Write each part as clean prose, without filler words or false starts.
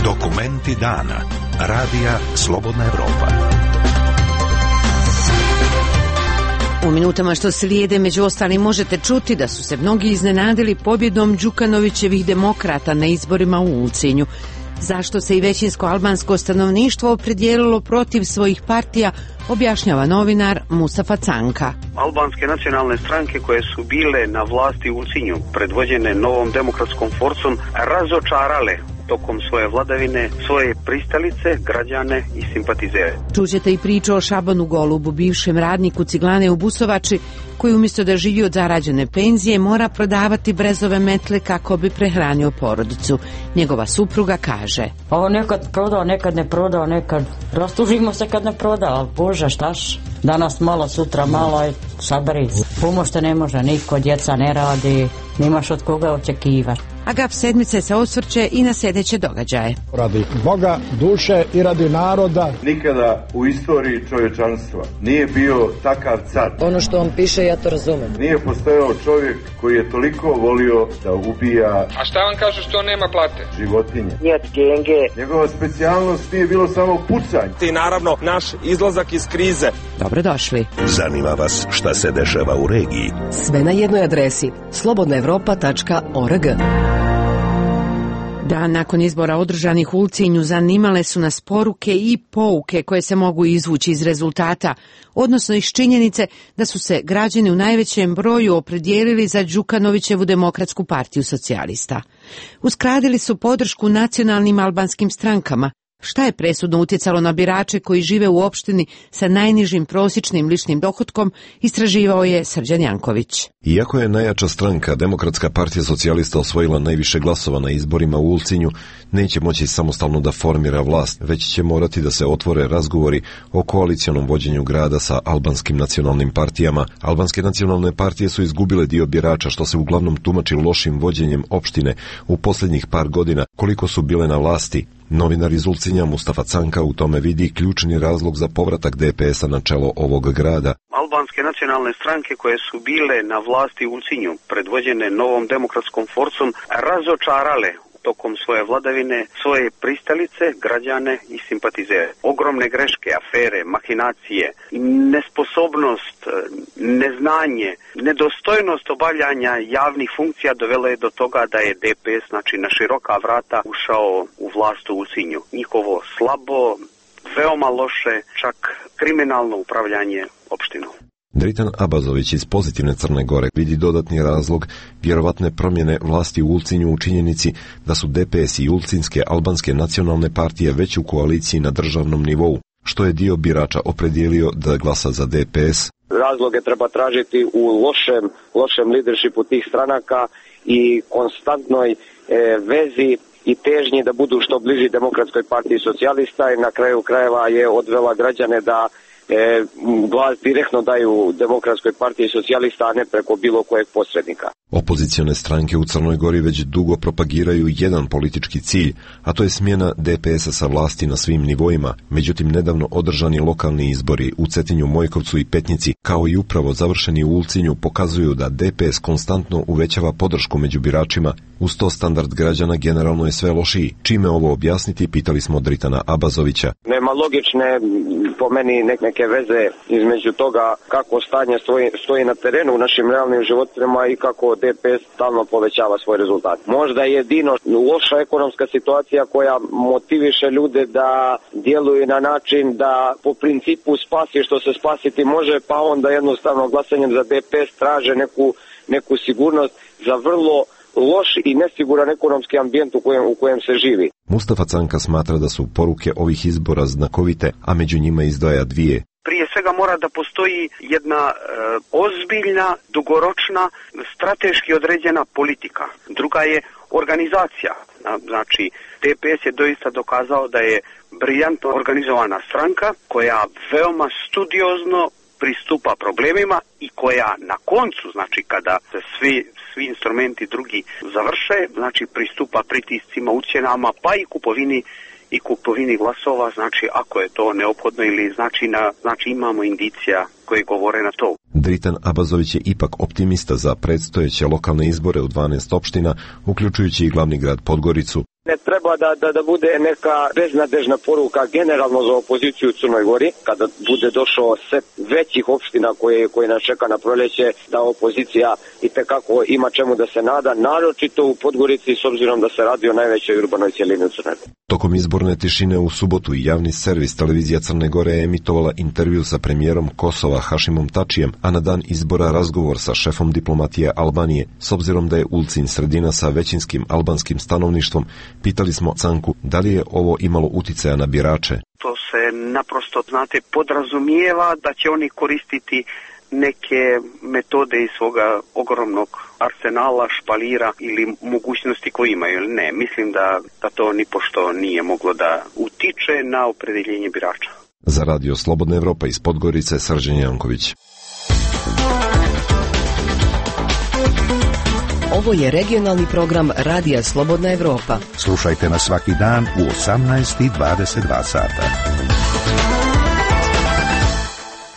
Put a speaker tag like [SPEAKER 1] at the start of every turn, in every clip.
[SPEAKER 1] Dokumenti dana. Radija Slobodna Evropa.
[SPEAKER 2] U minutama što slijede, među ostalim, možete čuti da su se mnogi iznenadili pobjedom Đukanovićevih demokrata na izborima u Ulcinju. Zašto se i većinsko albansko stanovništvo opredijelilo protiv svojih partija, objašnjava novinar Mustafa Canka.
[SPEAKER 3] Albanske nacionalne stranke koje su bile na vlasti u Ulcinju, predvođene Novom demokratskom forcom, razočarale tokom svoje vladavine svoje pristalice, građane i simpatizere.
[SPEAKER 2] Čućete i priču o Šabanu Golubu, bivšem radniku ciglane u Busovači, koji umjesto da živi od zarađene penzije mora prodavati brezove metle kako bi prehranio porodicu. Njegova supruga kaže:
[SPEAKER 4] Ovo nekad prodao, nekad ne prodao, nekad rastužimo se kad ne proda, ali Bože, štaš? Danas malo, sutra malo i saberi. Pomošte ne može, niko, djeca ne radi, nimaš od koga očekivati.
[SPEAKER 2] Agaf sedmice se osvrće i na sljedeće događaje.
[SPEAKER 5] Radi Boga, duše i radi naroda.
[SPEAKER 6] Nikada u istoriji čovječanstva nije bio takav car.
[SPEAKER 7] Ono što on piše, ja to razumem.
[SPEAKER 6] Nije postojao čovjek koji je toliko volio da ubija.
[SPEAKER 8] A šta vam kažu što nema plate?
[SPEAKER 6] Životinje.
[SPEAKER 7] Njet genge.
[SPEAKER 6] Njegova specijalnost nije bilo samo pucanje.
[SPEAKER 9] I naravno naš izlazak iz krize.
[SPEAKER 2] Dobrodošli.
[SPEAKER 1] Zanima vas šta se dešava u regiji?
[SPEAKER 7] Sve na jednoj adresi: slobodnaevropa.org.
[SPEAKER 2] Dan nakon izbora održanih u Ulcinju zanimale su nas poruke i pouke koje se mogu izvući iz rezultata, odnosno iz činjenice da su se građani u najvećem broju opredijelili za Đukanovićevu demokratsku partiju socijalista. Uskradili su podršku nacionalnim albanskim strankama. Šta je presudno utjecalo na birače koji žive u opštini sa najnižim prosječnim ličnim dohotkom, istraživao je Srđan Janković.
[SPEAKER 10] Iako je najjača stranka, Demokratska partija socijalista, osvojila najviše glasova na izborima u Ulcinju, neće moći samostalno da formira vlast, već će morati da se otvore razgovori o koalicionom vođenju grada sa albanskim nacionalnim partijama. Albanske nacionalne partije su izgubile dio birača, što se uglavnom tumači lošim vođenjem opštine u posljednjih par godina koliko su bile na vlasti. Novinar iz Ulcinja Mustafa Canka u tome vidi ključni razlog za povratak DPS-a na čelo ovog grada.
[SPEAKER 3] Albanske nacionalne stranke koje su bile na vlasti u Ulcinju, predvođene Novom demokratskom forcom, razočarale tokom svoje vladavine svoje pristalice, građane i simpatizere. Ogromne greške, afere, mahinacije, nesposobnost, neznanje, nedostojnost obavljanja javnih funkcija dovelo je do toga da je DPS, znači na široka vrata, ušao u vlast u Ulcinju. Njihovo slabo, veoma loše, čak kriminalno upravljanje opštinom.
[SPEAKER 10] Dritan Abazović iz Pozitivne Crne Gore vidi dodatni razlog vjerovatne promjene vlasti u Ulcinju u činjenici da su DPS i Ulcinske albanske nacionalne partije već u koaliciji na državnom nivou, što je dio birača opredijelio da glasa za DPS.
[SPEAKER 11] Razloge treba tražiti u lošem leadershipu tih stranaka i konstantnoj vezi i težnji da budu što bliži Demokratskoj partiji socijalista, i na kraju krajeva je odvela građane da glas direktno daju Demokratskoj partiji socijalista, a ne preko bilo kojeg posrednika.
[SPEAKER 10] Opozicione stranke u Crnoj Gori već dugo propagiraju jedan politički cilj, a to je smjena DPS-a sa vlasti na svim nivoima. Međutim, nedavno održani lokalni izbori u Cetinju, Mojkovcu i Petnici, kao i upravo završeni u Ulcinju, pokazuju da DPS konstantno uvećava podršku među biračima. Uz to standard građana generalno je sve lošiji. Čime ovo objasniti, pitali smo Dritana Abazovića.
[SPEAKER 11] Nema logične, po meni, neke veze između toga kako stanje stoji na terenu u našim realnim životima i kako DPS stalno povećava svoj rezultat. Možda je jedino loša ekonomska situacija koja motiviše ljude da djeluju na način da po principu spasi što se spasiti može, pa onda jednostavno glasanjem za DPS traže neku sigurnost za vrlo loš i nesiguran ekonomski ambijent u kojem se živi.
[SPEAKER 10] Mustafa Canka smatra da su poruke ovih izbora znakovite, a među njima izdvaja dvije.
[SPEAKER 3] Prije svega mora da postoji jedna ozbiljna, dugoročna, strateški određena politika. Druga je organizacija. Znači, DPS je doista dokazao da je briljantno organizovana stranka koja veoma studiozno pristupa problemima i koja na koncu, znači kada se svi instrumenti drugi završe, znači pristupa pritiscima, ucjenama, pa i kupovini glasova, znači ako je to neophodno ili znači imamo indicija koji govore na to.
[SPEAKER 10] Dritan Abazović je ipak optimista za predstojeće lokalne izbore u 12 opština, uključujući i glavni grad Podgoricu.
[SPEAKER 11] Ne treba da bude neka beznadežna poruka generalno za opoziciju u Crnoj Gori, kada bude došao set većih opština koje nas čeka na proljeće, da opozicija itekako ima čemu da se nada, naročito u Podgorici s obzirom da se radi o najvećoj urbanoj cjelini u Crnoj Gori.
[SPEAKER 10] Tokom izborne tišine u subotu i javni servis televizija Crne Gore je emitovala intervju sa premijerom Kosova Hašimom Tačijem, a na dan izbora razgovor sa šefom diplomatije Albanije. S obzirom da je Ulcinj sredina sa većinskim albanskim stanovništvom, pitali smo Canku da li je ovo imalo uticaja na birače.
[SPEAKER 3] To se naprosto, znate, podrazumijeva da će oni koristiti neke metode iz svoga ogromnog arsenala, špalira ili mogućnosti koje imaju. Ne, mislim da to nipošto nije moglo da utiče na opredeljenje birača.
[SPEAKER 10] Za Radio Slobodna Evropa iz Podgorice, Srđan Janković.
[SPEAKER 7] Ovo je regionalni program Radija Slobodna Evropa.
[SPEAKER 1] Slušajte nas svaki dan u 18:22 sata.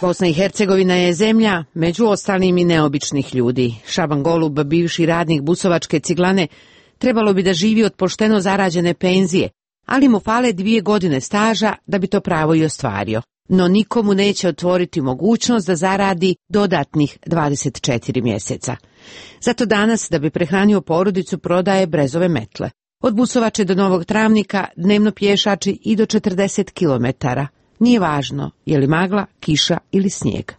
[SPEAKER 2] Bosna i Hercegovina je zemlja, među ostalim i neobičnih ljudi. Šaban Golub, bivši radnik busovačke ciglane, trebalo bi da živi od pošteno zarađene penzije, ali mu fale 2 godine staža da bi to pravo i ostvario. No nikomu neće otvoriti mogućnost da zaradi dodatnih 24 mjeseca. Zato danas, da bi prehranio porodicu, prodaje brezove metle. Od Busovače do Novog Travnika dnevno pješači i do 40 kilometara. Nije važno je li magla, kiša ili snijeg.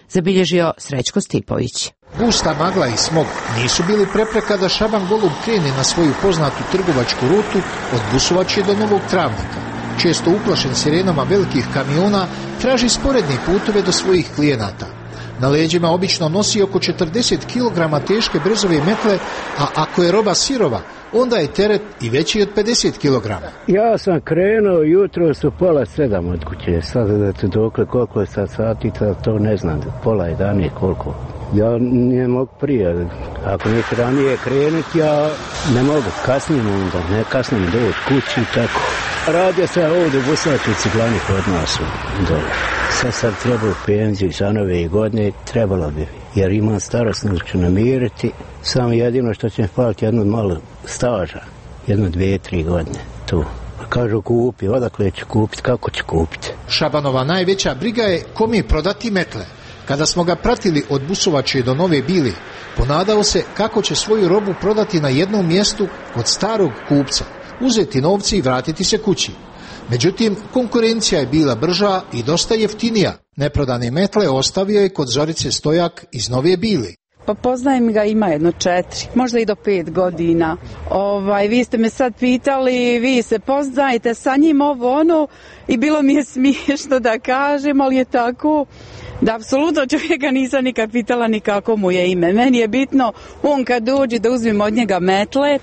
[SPEAKER 2] Zabilježio Srećko Stipović.
[SPEAKER 5] Gusta magla i smog nisu bili prepreka da Šaban Golub krene na svoju poznatu trgovačku rutu od Busovače do Novog Travnika. Često uplašen sirenama velikih kamiona, traži sporedne putove do svojih klijenata. Na leđima obično nosi oko 40 kg teške brezove metle, a ako je roba sirova, onda je teret i veći od 50 kg.
[SPEAKER 12] Ja sam krenuo jutro su 6:30 od kuće. Sad da tu dokle koliko je sad sati, to ne znam, 10:30 koliko. Ja ne mogu prije, ako neće ranije krenuti, ja ne mogu, kasnim onda, ne kasnim doći kući i tako. Radio se ovdje u Busovačkoj ciglani kod nas dole. Sad treba u penziju za nove godine, trebalo bi, jer imam starosnu ću namiriti, samo jedino što će mi faliti jednu malu staža, 1, 2, 3 godine tu. Kažu kupi, odakle ću kupiti, kako ću kupiti.
[SPEAKER 5] Šabanova najveća briga je kome prodati metle. Kada smo ga pratili od Busovače do Nove Bile, ponadao se kako će svoju robu prodati na jednom mjestu kod starog kupca, uzeti novci i vratiti se kući. Međutim, konkurencija je bila brža i dosta jeftinija. Neprodane metle ostavio je kod Zorice Stojak iz Nove Bile.
[SPEAKER 13] Pa poznajem ga, ima 4, možda i do 5 godina. Vi ste me sad pitali, vi se poznajete sa njim i bilo mi je smiješno da kažem, ali je tako da apsolutno čovjeka nisam nikad pitala ni kako mu je ime. Meni je bitno, on kad dođe da uzmem od njega metle,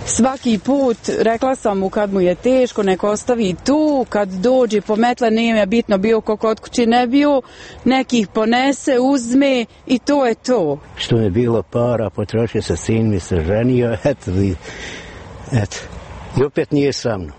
[SPEAKER 13] svaki put rekla sam mu kad mu je teško, nek ostavi tu, kad dođe po metle, nije bitno bio ko kod kući ne bio, nekih ponese, uzme i to je to.
[SPEAKER 12] Što je bilo para, potrošio se, sin mi se ženio, eto. I opet nije sa mnom,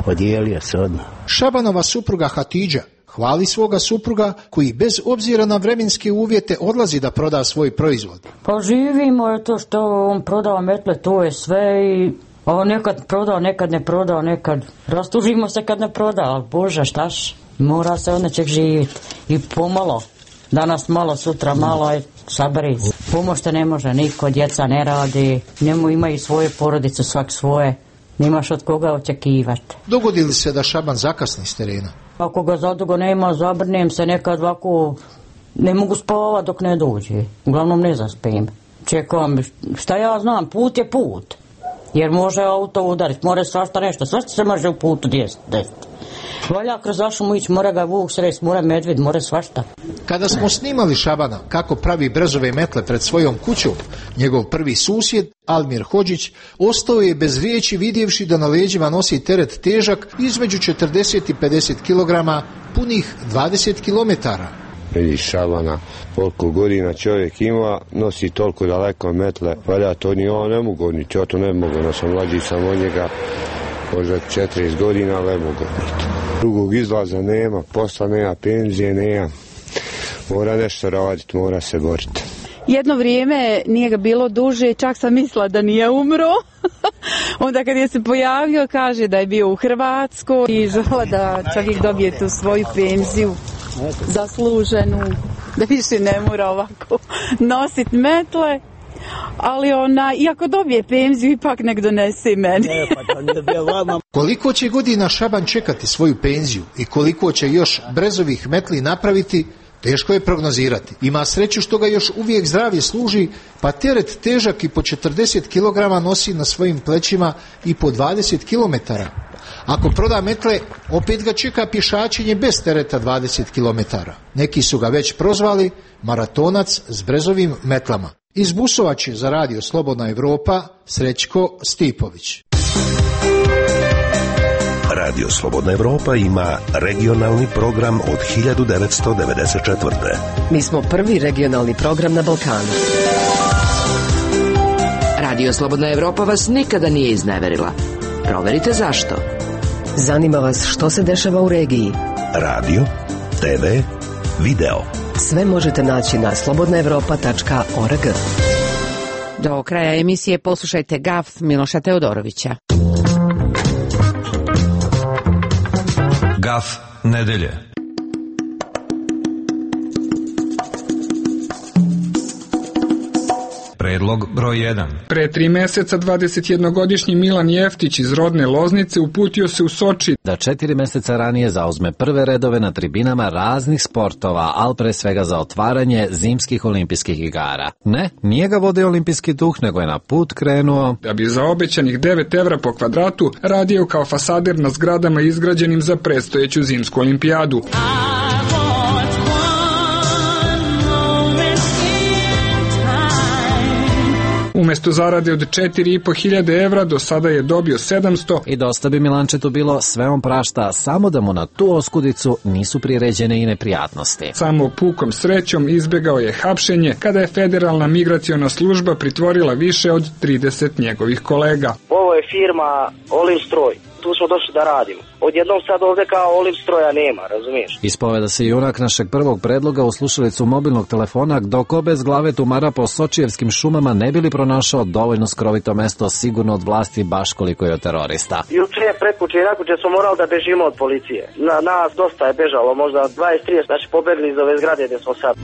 [SPEAKER 12] podijelio se odmah.
[SPEAKER 5] Šabanova supruga Hatidža hvali svoga supruga koji bez obzira na vremenske uvjete odlazi da proda svoj proizvod.
[SPEAKER 4] Pa živimo je to što on prodava metle, to je sve i on nekad prodao, nekad ne prodao, nekad rastužimo se kad ne proda, ali Bože štaš, mora se od nečeg živjeti i pomalo. Danas malo, sutra malo i saberi. Pomošte ne može niko, djeca ne radi, njemu imaju svoje porodice, svak svoje. Nimaš od koga očekivati.
[SPEAKER 5] Dogodi li se da Šaban zakasni s terena?
[SPEAKER 4] Ako ga zadugo nema, zabrnem se nekad ovako, ne mogu spavati dok ne dođe. Uglavnom ne zaspim. Čekam, šta ja znam, put je put. Jer može auto udariti, more svašta nešto, svašta se može u putu desiti. Valja kroz vašumu ići, mora ga vuk sresti, mora medved, mora svašta.
[SPEAKER 5] Kada smo snimali Šabana kako pravi brezove metle pred svojom kućom, njegov prvi susjed, Almir Hodžić, ostao je bez riječi vidjevši da na leđima nosi teret težak između 40 i 50 kg, punih 20 km.
[SPEAKER 14] Vidiš Šabana, koliko godina čovjek ima, nosi toliko daleko metle, valja to ni on ne mogu, ni ja to ne mogu, no sam mlađi sam od njega, možda 40 godina, ali ne mogu biti. Drugog izlaza nema, posla nema, penzije nema, Mora nešto raditi, mora se boriti.
[SPEAKER 13] Jedno vrijeme nije ga bilo duže, čak sam mislila da nije umro. Onda kad je se pojavio, kaže da je bio u Hrvatskoj i žela da čovjek dobije tu svoju penziju zasluženu, da više ne mora ovako nositi metle. Ali iako dobije penziju, ipak nek donese meni.
[SPEAKER 5] Koliko će godina Šaban čekati svoju penziju i koliko će još brezovih metli napraviti, teško je prognozirati. Ima sreću što ga još uvijek zdravlje služi, pa teret težak i po 40 kg nosi na svojim plećima i po 20 km. Ako proda metle, opet ga čeka pješačenje bez tereta 20 km. Neki su ga već prozvali maratonac s brezovim metlama. Iz Busovače za Radio Slobodna Evropa, Srećko Stipović.
[SPEAKER 1] Radio Slobodna Evropa ima regionalni program od 1994.
[SPEAKER 7] Mi smo prvi regionalni program na Balkanu.
[SPEAKER 15] Radio Slobodna Evropa vas nikada nije izneverila. Proverite zašto.
[SPEAKER 7] Zanima vas što se dešava u regiji.
[SPEAKER 1] Radio, TV, video.
[SPEAKER 7] Sve možete naći na slobodnaevropa.org.
[SPEAKER 2] Do kraja emisije poslušajte Gaf Miloša Teodorovića.
[SPEAKER 16] Gaf nedelje. Predlog broj 1.
[SPEAKER 8] Pre 3 meseca 21-godišnji Milan Jeftić iz rodne Loznice uputio se u Soči
[SPEAKER 17] da 4 meseca ranije zauzme prve redove na tribinama raznih sportova, ali pre svega za otvaranje zimskih olimpijskih igara. Ne, nije ga vodio olimpijski duh, nego je na put krenuo
[SPEAKER 8] da bi za obećanih 9 evra po kvadratu radio kao fasader na zgradama izgrađenim za predstojeću zimsku olimpijadu. Umesto zarade od 4.500 evra, do sada je dobio 700.
[SPEAKER 17] I dosta bi Milančetu bilo, sve on prašta, samo da mu na tu oskudicu nisu priređene i neprijatnosti.
[SPEAKER 8] Samo pukom srećom izbegao je hapšenje kada je Federalna migraciona služba pritvorila više od 30 njegovih kolega.
[SPEAKER 18] Ovo je firma Olimstroj. Tu smo došli da radimo. Odjednom sad ovdje kao Olimstroja nema, razumiješ?
[SPEAKER 17] Ispoveda se junak našeg prvog predloga u slušalicu mobilnog telefona, dok bez glave tumara po sočijevskim šumama ne bili pronašao dovoljno skrovito mesto, sigurno od vlasti baš koliko je od terorista.
[SPEAKER 18] Juče, prekuće i nakuće smo morali da bežimo od policije. Nas dosta je bežalo, možda 20-30, znači pobegli iz ove zgrade gdje smo sad.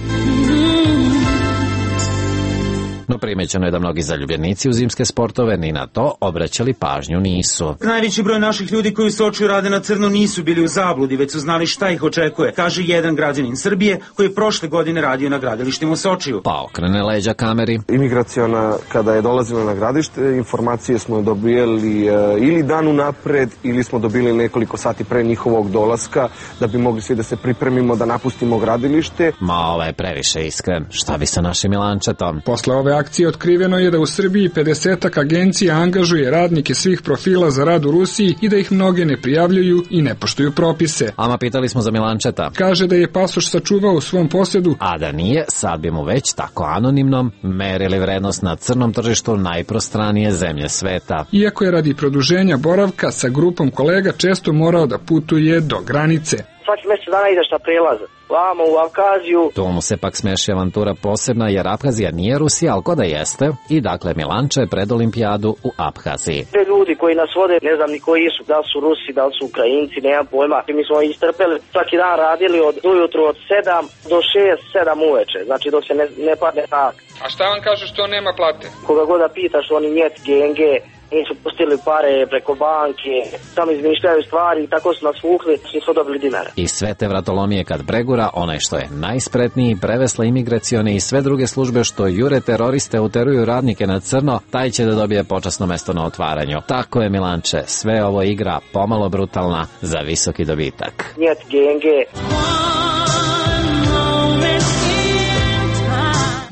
[SPEAKER 17] No primećeno je da mnogi zaljubljenici u zimske sportove ni na to obraćali pažnju nisu.
[SPEAKER 19] Najveći broj naših ljudi koji u Sočiju rade na crno nisu bili u zabludi, već su znali šta ih očekuje, kaže jedan građanin Srbije koji je prošle godine radio na gradilištima u Sočiju.
[SPEAKER 17] Pa okrene leđa kameri.
[SPEAKER 20] Imigraciona, kada je dolazila na gradište, informacije smo dobijali ili dan unapred ili smo dobili nekoliko sati pre njihovog dolaska da bi mogli svi da se pripremimo da napustimo gradilište.
[SPEAKER 17] Ma ovo je previše iskren. Šta bi sa našim Milančetom?
[SPEAKER 8] Posle ove akcije otkriveno je da u Srbiji 50-ak agencija angažuje radnike svih profila za rad u Rusiji i da ih mnoge ne prijavljuju i ne poštuju propise.
[SPEAKER 17] Ama pitali smo za Milančeta.
[SPEAKER 8] Kaže da je pasoš sačuvao u svom posjedu.
[SPEAKER 17] A da nije, sad bi mu već tako anonimnom merili vrednost na crnom tržištu najprostranije zemlje sveta.
[SPEAKER 8] Iako je radi produženja boravka sa grupom kolega često morao da putuje do granice.
[SPEAKER 18] Svaki mjesec dana ideš na prelaze. Vamo u Abhaziju.
[SPEAKER 17] Tu mu se pak smeši avantura posebna jer Abhazija nije Rusija, ali ko da jeste. I dakle Milanče pred olimpijadu u Abhaziji.
[SPEAKER 18] Te ljudi koji nas vode, ne znam ni koji su, da li su Rusi, da li su Ukrajinci, nemam pojma. Mi smo istrpeli, svaki dan radili od ujutru od 7 do 6-7 uveče, znači dok se ne padne tak.
[SPEAKER 8] A šta vam kažu što nema plate?
[SPEAKER 18] Koga god da pitaš, oni njet, genge, nisu pustili pare preko banke, samo izmišljaju stvari i tako su nas vukli, nismo dobili dinara.
[SPEAKER 17] I sve te vratolomije kad pregura, onaj što je najspretniji, prevesla imigracione i sve druge službe što jure teroriste, uteruju radnike na crno, taj će da dobije počasno mesto na otvaranju. Tako je Milanče, sve ovo igra pomalo brutalna za visoki dobitak.
[SPEAKER 18] Njet, genge.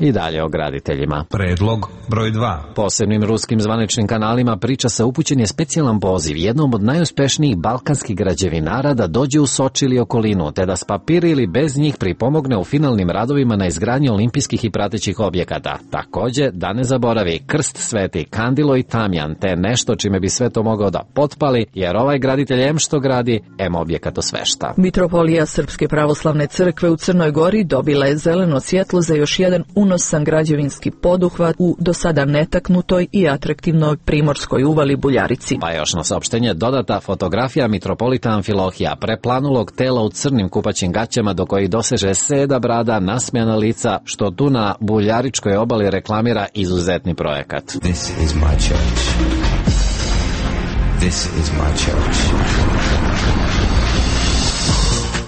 [SPEAKER 17] I dalje o graditeljima.
[SPEAKER 16] Predlog broj 2.
[SPEAKER 17] Posebnim ruskim zvaničnim kanalima priča se upućen je specijalan poziv jednom od najuspešnijih balkanskih građevinara da dođe u Soči ili okolinu, te da s papiri ili bez njih pripomogne u finalnim radovima na izgradnji olimpijskih i pratećih objekata. Takođe, da ne zaboravi krst sveti, kandilo i tamjan, te nešto čime bi sve to mogao da potpali, jer ovaj graditelj em što gradi, em objekat osvešta.
[SPEAKER 21] Mitropolija Srpske pravoslavne crkve u Crnoj Gori dobila je zeleno svjetlo za još jedan unosan građevinski poduhvat u do sada netaknutoj i atraktivnoj primorskoj uvali Buljarici.
[SPEAKER 17] Pa još na saopštenje dodata fotografija mitropolita Amfilohija, preplanulog tela u crnim kupaćim gaćama do kojih doseže seda brada, nasmejana lica, što tu na Buljaričkoj obali reklamira izuzetni projekat.
[SPEAKER 22] This is my church. This is my church.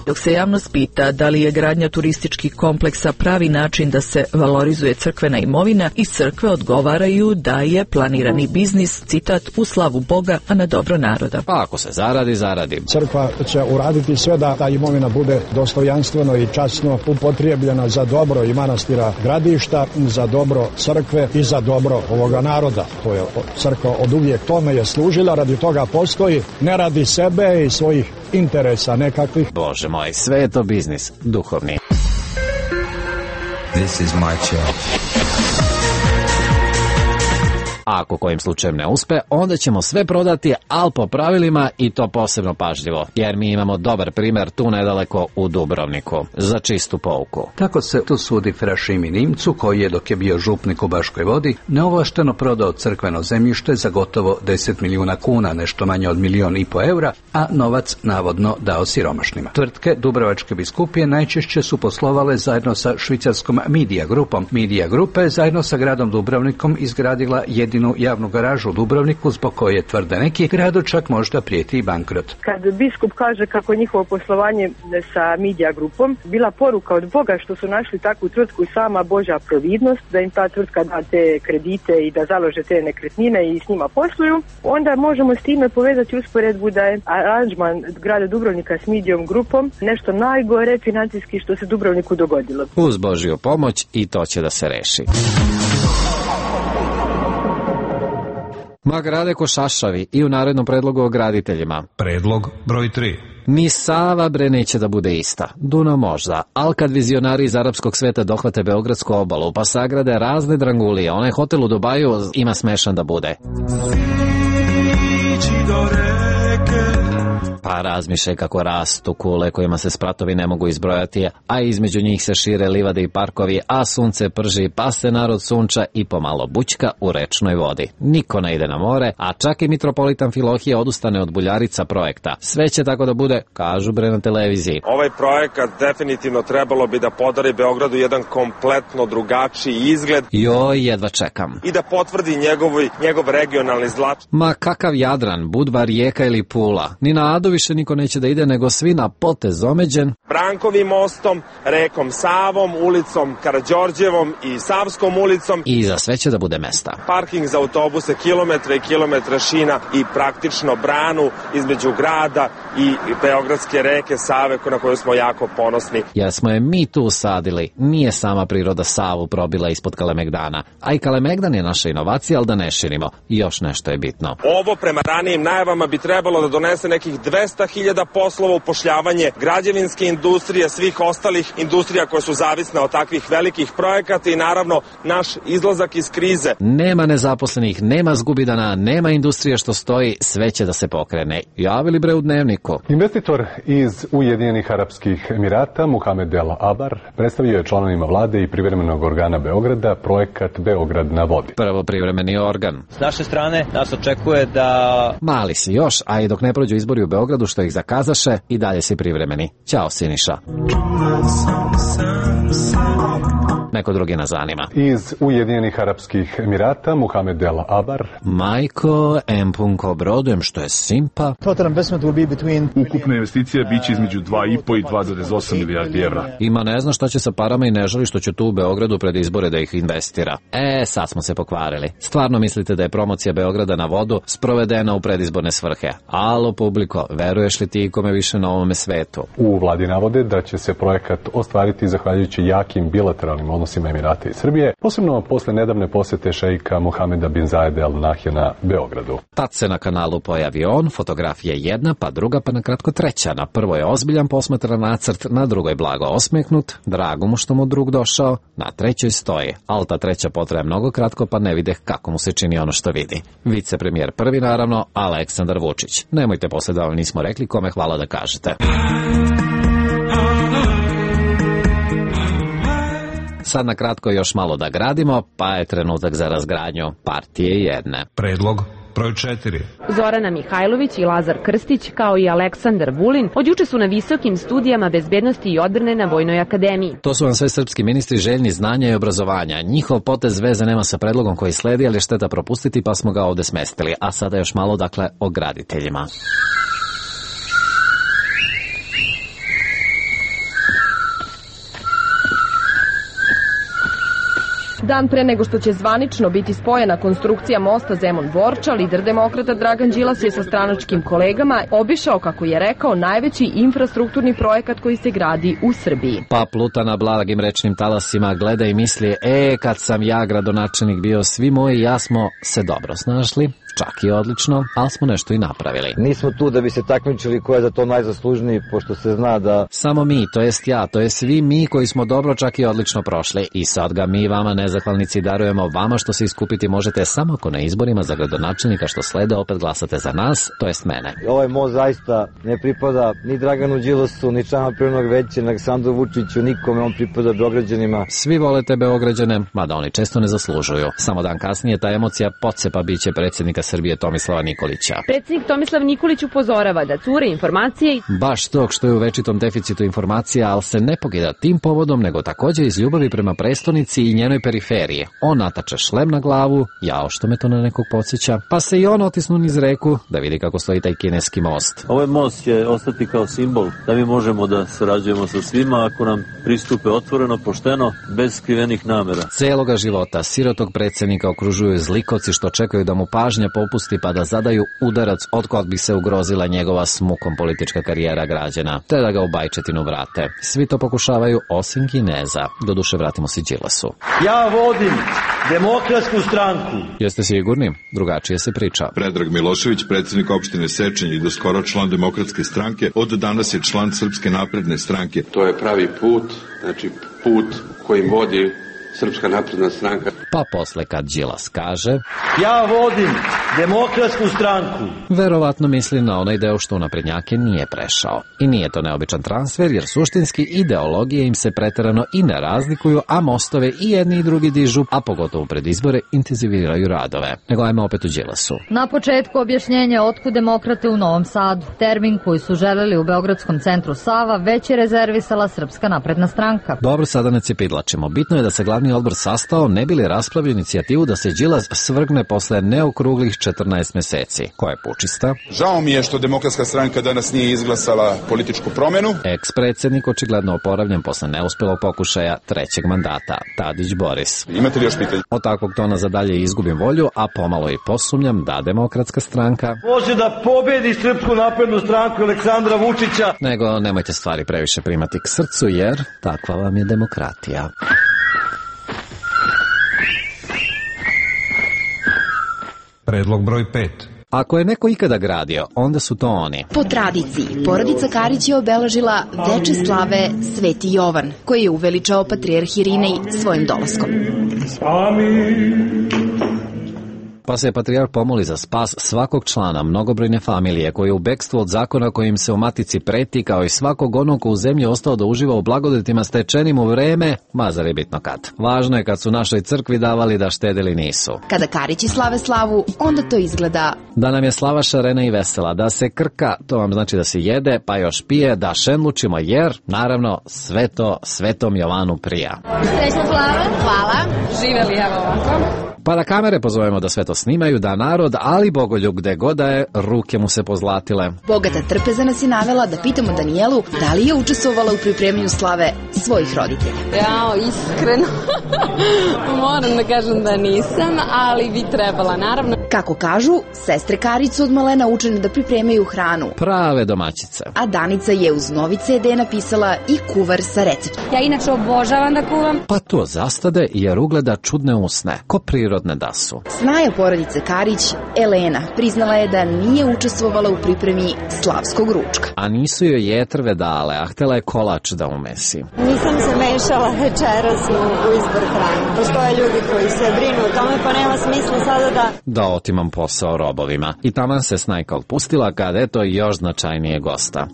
[SPEAKER 21] Dok se javnost pita da li je gradnja turističkih kompleksa pravi način da se valorizuje crkvena imovina, iz crkve odgovaraju da je planirani biznis, citat, u slavu Boga, a na dobro naroda.
[SPEAKER 17] Pa ako se zaradi, zaradi.
[SPEAKER 23] Crkva će uraditi sve da ta imovina bude dostojanstveno i časno upotrijebljena za dobro i manastira Gradišta, za dobro crkve i za dobro ovoga naroda. To je crkva od uvijek tome je služila, radi toga postoji, ne radi sebe i svojih interesa nekakvih.
[SPEAKER 17] Bože moj, sve je to biznis, duhovni.
[SPEAKER 22] This is my church.
[SPEAKER 17] A ako kojim slučajem ne uspe, onda ćemo sve prodati, ali po pravilima i to posebno pažljivo, jer mi imamo dobar primjer tu nedaleko u Dubrovniku, za čistu pouku.
[SPEAKER 24] Tako se tu sudi Frašimi Nimcu, koji je dok je bio župnik u Baškoj Vodi, neovlašteno prodao crkveno zemljište za gotovo 10 milijuna kuna, nešto manje od 1,5 milijuna eura, a novac navodno dao siromašnima. Tvrtke Dubrovačke biskupije najčešće su poslovale zajedno sa švicarskom Media Grupom. Media Grupa je zajedno sa gradom Dubrovnikom izgradila jedinu javnu garažu u Dubrovniku, zbog koje tvrde neki, gradu čak možda prijeti i bankrot.
[SPEAKER 25] Kad biskup kaže kako njihovo poslovanje sa Media Grupom bila poruka od Boga što su našli takvu tvrtku i sama Božja providnost, da im ta tvrtka da te kredite i da založe te nekretnine i s njima posluju, onda možemo s time povezati usporedbu da je aranžman grada Dubrovnika s Mediom Grupom nešto najgore financijski što se Dubrovniku dogodilo.
[SPEAKER 17] Uz Božju pomoć i to će da se reši. Ma grade ko šašavi i u narednom predlogu o graditeljima.
[SPEAKER 16] Predlog broj 3.
[SPEAKER 17] Ni Sava bre neće da bude ista. Dunav možda, ali kad vizionari iz arapskog sveta dohvate Beogradsku obalu pa sagrade razne drangulije, onaj hotel u Dubaju ima smešan da bude. Pa razmišljaj kako rastu kule kojima se spratovi ne mogu izbrojati, a između njih se šire livade i parkovi, a sunce prži, pa se narod sunča i pomalo bućka u rečnoj vodi. Niko ne ide na more, a čak i mitropolitan Amfilohije odustane od Buljarica projekta. Sve će tako da bude, kažu bre na televiziji.
[SPEAKER 9] Ovaj projekat definitivno trebalo bi da podari Beogradu jedan kompletno drugačiji izgled.
[SPEAKER 17] Joj, jedva čekam.
[SPEAKER 9] I da potvrdi njegov regionalni značaj.
[SPEAKER 17] Ma kakav Jadran, Budva, Rijeka ili Pula. Ni na Adu više niko neće da ide, nego svi na potez omeđen.
[SPEAKER 9] Brankovim mostom, rekom Savom, ulicom Karađorđevom i Savskom ulicom.
[SPEAKER 17] I za sve će da bude mesta.
[SPEAKER 9] Parking za autobuse, kilometre i kilometre šina i praktično branu između grada i beogradske reke Save na koju smo jako ponosni.
[SPEAKER 17] Jer smo je mi tu usadili, nije sama priroda Savu probila ispod Kalemegdana. A i Kalemegdan je naša inovacija, ali da ne širimo. I još nešto je bitno.
[SPEAKER 9] Ovo prema ranijim najavama bi trebalo da donese nekih 200.000 poslova, upošljavanje građevinske industrije, svih ostalih industrija koje su zavisne od takvih velikih projekata i naravno naš izlazak iz krize.
[SPEAKER 17] Nema nezaposlenih, nema zgubidana, nema industrije što stoji, sve će da se pokrene. Javili bre u Dnevniku.
[SPEAKER 26] Investitor iz Ujedinjenih Arapskih Emirata, Muhamed El Abar, predstavio je članovima vlade i privremenog organa Beograda projekat Beograd na vodi.
[SPEAKER 17] Prvo privremeni organ.
[SPEAKER 27] S naše strane nas očekuje da...
[SPEAKER 17] Mali si još, a i dok ne prođu izbori u Beogradu što ih zakazaše, i dalje si privremeni. Ćao Siniša. Neko drugi nas zanima.
[SPEAKER 26] Iz Ujedinjenih Arapskih Emirata, Muhamed El Abar.
[SPEAKER 17] Majko, empunko brodem, što je simpa.
[SPEAKER 28] Ukupna investicija biće između 2,5 i 2,8 milijardi evra.
[SPEAKER 17] Ima ne zna šta će sa parama i ne želi što će tu u Beogradu pred izbore da ih investira. Sad smo se pokvarili. Stvarno mislite da je promocija Beograda na vodu sprovedena u predizborne svrhe? Alo publiko, veruješ li ti ikome više na ovome svetu?
[SPEAKER 26] U vladi navode da će se projekat ostvariti zahvaljujući jakim bilateralnim odnosima Emirata i Srbije, posebno posle nedavne posete šeika Mohameda bin Zayed Al Nahyana Beogradu.
[SPEAKER 17] Tad se na kanalu pojavi on, fotografija jedna, pa druga, pa na kratko treća. Na prvoj je ozbiljan posmatran nacrt, na drugoj blago osmeknut, drago mu što mu drug došao, na trećoj stoji. Ali ta treća potraje mnogo kratko, pa ne vide kako mu se čini ono što vidi. Vicepremijer prvi, naravno, Aleksandar Vučić. Nemojte posle da vam nismo rekli kome hvala da kažete. Sad na kratko još malo da gradimo, pa je trenutak za razgradnju partije jedne.
[SPEAKER 16] Predlog broj 4.
[SPEAKER 3] Zorana Mihajlović i Lazar Krstić, kao i Aleksandar Vulin, od juče su na visokim studijama bezbednosti i odbrane na Vojnoj akademiji.
[SPEAKER 17] To su vam sve srpski ministri željni znanja i obrazovanja. Njihov potez veze nema sa predlogom koji sledi, ali šteta propustiti, pa smo ga ovde smestili. A sada još malo, dakle, o graditeljima.
[SPEAKER 4] Dan pre nego što će zvanično biti spojena konstrukcija mosta Zemun-Borča, lider demokrata Dragan Đilas je sa stranačkim kolegama obišao, kako je rekao, najveći infrastrukturni projekat koji se gradi u Srbiji.
[SPEAKER 17] Pa pluta na blagim rečnim talasima, gleda i misli, kad sam ja gradonačelnik bio, svi moji i ja smo se dobro snašli, čak i odlično, ali smo nešto i napravili.
[SPEAKER 6] Nismo tu da bi se takmičili ko je za to najzaslužniji, pošto se zna da...
[SPEAKER 17] Samo mi, to jest ja, to je svi mi koji smo dobro, čak i odlično prošli. I sad ga mi vama nezahvalnici darujemo vama što se iskupiti možete samo ako na izborima za gradonačelnika što slede opet glasate za nas, to jest mene.
[SPEAKER 6] Ovaj most zaista ne pripada ni Draganu Đilasu, ni članima Privrednog veća, ni Aleksandru Vučiću, nikome, on pripada Beograđanima.
[SPEAKER 17] Svi volete Beograđane, mada oni često ne zaslužuju. Samo dan kasnije ta emocija pocepa biće predsjednika Srbije Tomislava Nikolića.
[SPEAKER 3] Predsjednik Tomislav Nikolić upozorava da cure informacije
[SPEAKER 17] baš tog što je u večitom deficitu informacija, ali se ne pogida tim povodom, nego također iz ljubavi prema prestonici i njenoj periferiji. On natače šlem na glavu, jao što me to na nekog podsjeća, pa se i on otisnu niz reku da vidi kako stoji taj kineski most.
[SPEAKER 10] Ovaj most će ostati kao simbol da mi možemo da sarađujemo sa svima ako nam pristupe otvoreno, pošteno, bez skrivenih namera.
[SPEAKER 17] Celoga života sirotog predsjednika okružuju zlikovci što čekaju da mu pažnja popusti pa da zadaju udarac otkad bi se ugrozila njegova s mukom politička karijera građana, te da ga u bajčetinu vrate. Svi to pokušavaju osim Kineza. Doduše vratimo se Đilasu.
[SPEAKER 11] Ja vodim Demokratsku stranku.
[SPEAKER 17] Jeste sigurni? Drugačije se priča.
[SPEAKER 12] Predrag Milošević, predsjednik opštine Sečanj i doskoro član Demokratske stranke, od danas je član Srpske napredne stranke.
[SPEAKER 13] To je pravi put, znači put kojim vodi Srpska napredna stranka.
[SPEAKER 17] Pa posle kad Đilas kaže
[SPEAKER 11] ja vodim Demokratsku stranku,
[SPEAKER 17] verovatno misli na onaj deo što u naprednjake nije prešao. I nije to neobičan transfer, jer suštinski ideologije im se preterano i ne razlikuju, a mostove i jedni i drugi dižu, a pogotovo pred izbore intenziviraju radove. Nego ajmo opet u Đilasu.
[SPEAKER 14] Na početku objašnjenje otkud demokrate u Novom Sadu. Termin koji su želeli u Beogradskom centru Sava već je rezervisala Srpska napredna stranka.
[SPEAKER 17] Dobro, sada ne cepidlačimo. Bitno je da se glavni odbor sastao, ne bi li raspravio inicijativu da se Đilas svrgne posle neokruglih 14 meseci. Koja je pučista?
[SPEAKER 29] Žao mi je što Demokratska stranka danas nije izglasala političku promenu.
[SPEAKER 17] Ex-predsjednik očigledno oporavljen posle neuspelog pokušaja trećeg mandata. Tadić Boris.
[SPEAKER 29] Imate li još pitanje?
[SPEAKER 17] Od takvog tona za dalje izgubim volju, a pomalo i posumnjam da Demokratska stranka
[SPEAKER 11] može da pobedi Srpsku naprednu stranku Aleksandra Vučića.
[SPEAKER 17] Nego nemojte stvari previše primati k srcu, jer takva vam je demokratija.
[SPEAKER 16] Predlog broj 5.
[SPEAKER 17] Ako je neko ikada gradio, onda su to oni.
[SPEAKER 30] Po tradiciji, porodica Karić je obeležila veče slave Sveti Jovan, koji je uveličao patrijarh Irinej svojim dolaskom.
[SPEAKER 17] Pa se patrijarh pomoli za spas svakog člana mnogobrojne familije koji je u bekstvu od zakona kojim se u matici preti, kao i svakog onog ko u zemlji ostao da uživa u blagodetima stečenim u vreme, mazar je bitno kad. Važno je kad su našoj crkvi davali da štedili nisu.
[SPEAKER 30] Kada Karići slave slavu, onda to izgleda
[SPEAKER 17] da nam je slava šarena i vesela, da se krka, to vam znači da se jede, pa još pije, da šenlučimo, jer, naravno, sve to Svetom Jovanu prija.
[SPEAKER 30] Srećna slava, hvala.
[SPEAKER 3] Živeli, evo ovako.
[SPEAKER 17] Pa da kamere pozovemo da sve to snimaju, da narod, ali Bogoljub gde god da je, ruke mu se pozlatile.
[SPEAKER 30] Bogata trpeza nas je navela da pitamo Danijelu da li je učestvovala u pripremanju slave svojih roditelja.
[SPEAKER 1] Jao, iskreno. Moram da kažem da nisam, ali bi trebala, naravno.
[SPEAKER 30] Kako kažu, sestre Karić su od malena učene da pripremaju hranu.
[SPEAKER 17] Prave domaćice.
[SPEAKER 30] A Danica je uz novi CD napisala i kuvar sa receptom.
[SPEAKER 1] Ja inače obožavam da kuvam.
[SPEAKER 17] Pa to zastade jer ugleda čudne usne, ko prirodne da su.
[SPEAKER 30] Snaja porodice Karić, Elena, priznala je da nije učestvovala u pripremi slavskog ručka.
[SPEAKER 17] A nisu joj jetrve dale, a htela je kolač da umesi.
[SPEAKER 2] Nisam se mešala večeras u izbor hrane. Postoje ljudi koji se brinu o tome, pa nema smisla sada
[SPEAKER 17] da otimam posao robovima. I taman se Snajka otpustila kad eto još značajnije gosta.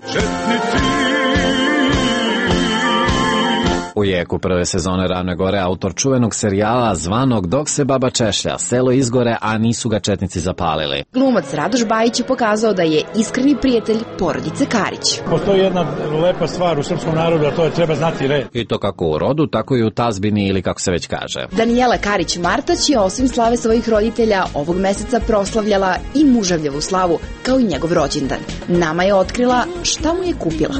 [SPEAKER 17] U jeku prve sezone Ravne gore autor čuvenog serijala zvanog Dok se baba češlja, selo izgore, a nisu ga četnici zapalili.
[SPEAKER 30] Glumac Radoš Bajić je pokazao da je iskreni prijatelj porodice Karić.
[SPEAKER 11] Postoji jedna lepa stvar u srpskom narodu, a to je treba znati red.
[SPEAKER 17] I to kako u rodu, tako i u tazbini ili kako se već kaže.
[SPEAKER 30] Danijela Karić-Martać je osim slave svojih roditelja ovog meseca proslavljala i muževljevu slavu, kao i njegov rođendan. Nama je otkrila šta mu je kupila.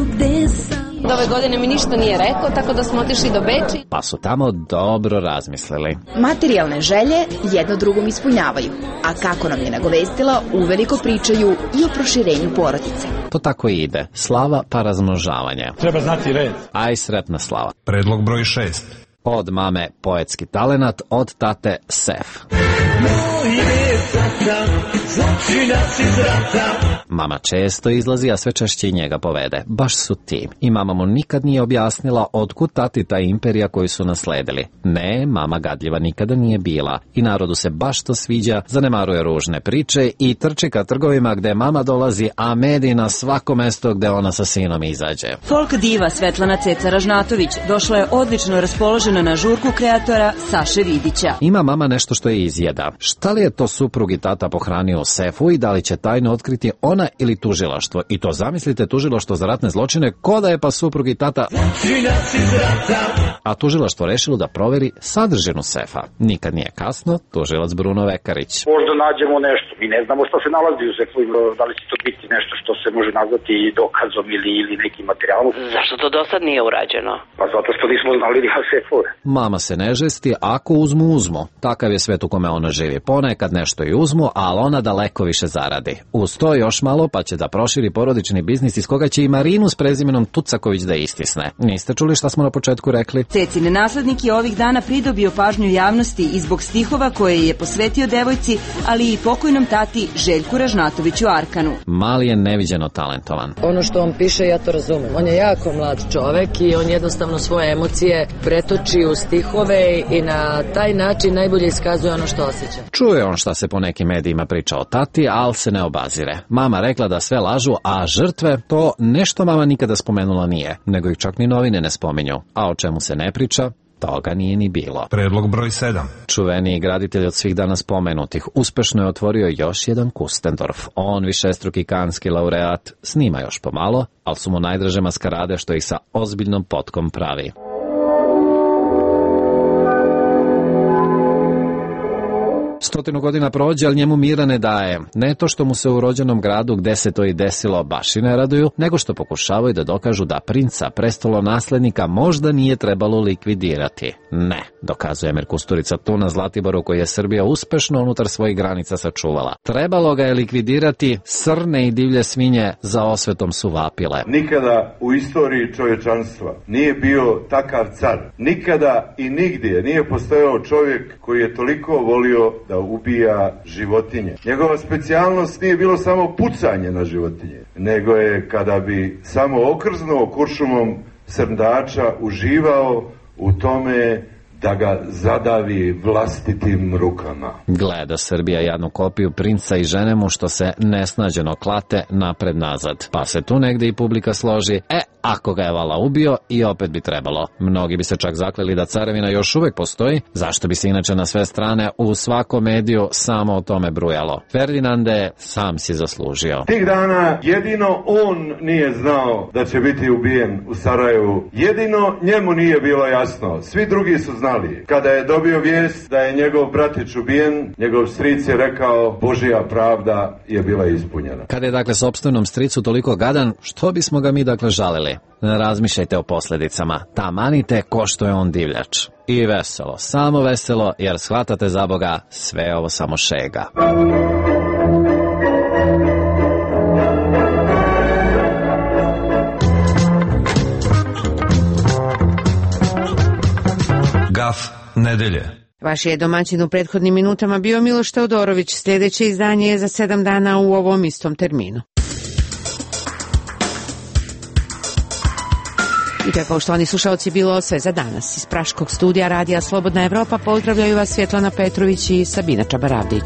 [SPEAKER 1] Do ove godine mi ništa nije rekao, tako da smo otišli do Beči.
[SPEAKER 17] Pa su tamo dobro razmislili.
[SPEAKER 30] Materijalne želje jedno drugom ispunjavaju, a kako nam je nagovestila, uveliko pričaju i o proširenju porodice.
[SPEAKER 17] To tako ide. Slava pa razmnožavanje.
[SPEAKER 11] Treba znati red.
[SPEAKER 17] Aj sretna slava.
[SPEAKER 16] Predlog broj 6.
[SPEAKER 17] Od mame poetski talenat, od tate sef. Mama često izlazi, a sve češće i njega povede. Baš su ti. I mama mu nikad nije objasnila otkud tati ta imperija koju su nasledili. Ne, mama gadljiva nikada nije bila. I narodu se baš to sviđa, zanemaruje ružne priče i trči ka trgovima gde mama dolazi, a mediji na svako mesto gde ona sa sinom izađe.
[SPEAKER 5] Folk diva Svetlana Ceca Ražnatović došla je odlično raspoložena na žurku kreatora Saše Vidića.
[SPEAKER 17] Ima mama nešto što je izjeda. Šta li je to suprug i tata pohranio u sefu i da li će tajno otkriti ona ili tužilaštvo? I to zamislite, tužilaštvo za ratne zločine, ko da je pa suprug i tata... A tužilaštvo rešilo da proveri sadržinu sefa. Nikad nije kasno, tužilac Bruno Vekarić.
[SPEAKER 7] Možda nađemo nešto. Mi ne znamo što se nalazi u sefu, da li će to biti nešto što se može nazvati dokazom ili nekim materijalom.
[SPEAKER 8] Zašto to do sad nije urađeno?
[SPEAKER 7] Pa zato što nismo znali da ima sefove.
[SPEAKER 17] Mama se ne žesti, ako uzmu. Takav je svet u kome ona živi. Ponekad nešto i uzmu, ali ona daleko više zaradi. Uz to još malo pa će da proširi porodični biznis iz koga će i Marinu s prezimenom Tucaković da istisne. Niste čuli šta smo na početku rekli?
[SPEAKER 5] Cecine naslednik je ovih dana pridobio pažnju javnosti i zbog stihova koje je posvetio devojci, ali i pokojnom tati Željku Ražnatoviću Arkanu.
[SPEAKER 17] Mali je neviđeno talentovan.
[SPEAKER 15] Ono što on piše, ja to razumem. On je jako mlad čovek i on jednostavno svoje emocije pretoči u stihove i na taj način najbolje iskazuje ono što osjeća.
[SPEAKER 17] Čuje on šta se po nekim medijima priča o tati, ali se ne obazire. Mama rekla da sve lažu, a žrtve to nešto mama nikada spomenula nije, nego ih čak ni novine ne spominju. A o čemu se ne priča, toga nije ni bilo.
[SPEAKER 16] Predlog broj 7.
[SPEAKER 17] Čuveniji graditelj od svih danas spomenutih uspešno je otvorio još jedan Kustendorf. On, višestruki kanski laureat, snima još pomalo, ali su mu najdraže maskarade što ih sa ozbiljnom potkom pravi. Stotinu godina prođe, ali njemu mira ne daje. Ne to što mu se u rođenom gradu gde se to i desilo baš i ne raduju, nego što pokušavaju da dokažu da princa, prestolonaslednika, možda nije trebalo likvidirati. Ne, dokazuje Emir Kusturica tu na Zlatiboru koji je Srbija uspešno unutar svojih granica sačuvala. Trebalo ga je likvidirati, srne i divlje svinje za osvetom su vapile.
[SPEAKER 18] Nikada u istoriji čovječanstva nije bio takav car. Nikada i nigdje nije postojao čovjek koji je toliko volio da ubija životinje. Njegova specijalnost nije bilo samo pucanje na životinje, nego je kada bi samo okrznuo kuršumom srndača uživao u tome da ga zadavi vlastitim rukama.
[SPEAKER 17] Gleda Srbija jednu kopiju princa i žene mu što se nesnađeno klate napred-nazad. Pa se tu negde i publika složi, ako ga je vala ubio i opet bi trebalo. Mnogi bi se čak zakleli da carevina još uvek postoji, zašto bi se inače na sve strane u svakom mediju samo o tome brujalo. Ferdinande, sam si zaslužio.
[SPEAKER 18] Tih dana jedino on nije znao da će biti ubijen u Sarajevu. Jedino njemu nije bilo jasno. Svi drugi su znali znali. Kada je dobio vijest da je njegov bratić ubijen, njegov stric je rekao Božja pravda je bila ispunjena.
[SPEAKER 17] Kada je dakle sopstvenom stricu toliko gadan, što bismo ga mi dakle žalili? Ne razmišljajte o posljedicama. Tamanite ko što je on divljač. I veselo, samo veselo, jer shvatate za Boga, sve ovo samo šega.
[SPEAKER 16] Gaf nedelje.
[SPEAKER 9] Vaš je domaćin u prethodnim minutama bio Miloš Teodorović. Sljedeće izdanje je za 7 dana u ovom istom terminu. I to je, poštovani slušalci, bilo sve za danas. Iz Praškog studija Radija Slobodna Evropa pozdravljaju vas Svjetlana Petrović i Sabina Čabaravdić.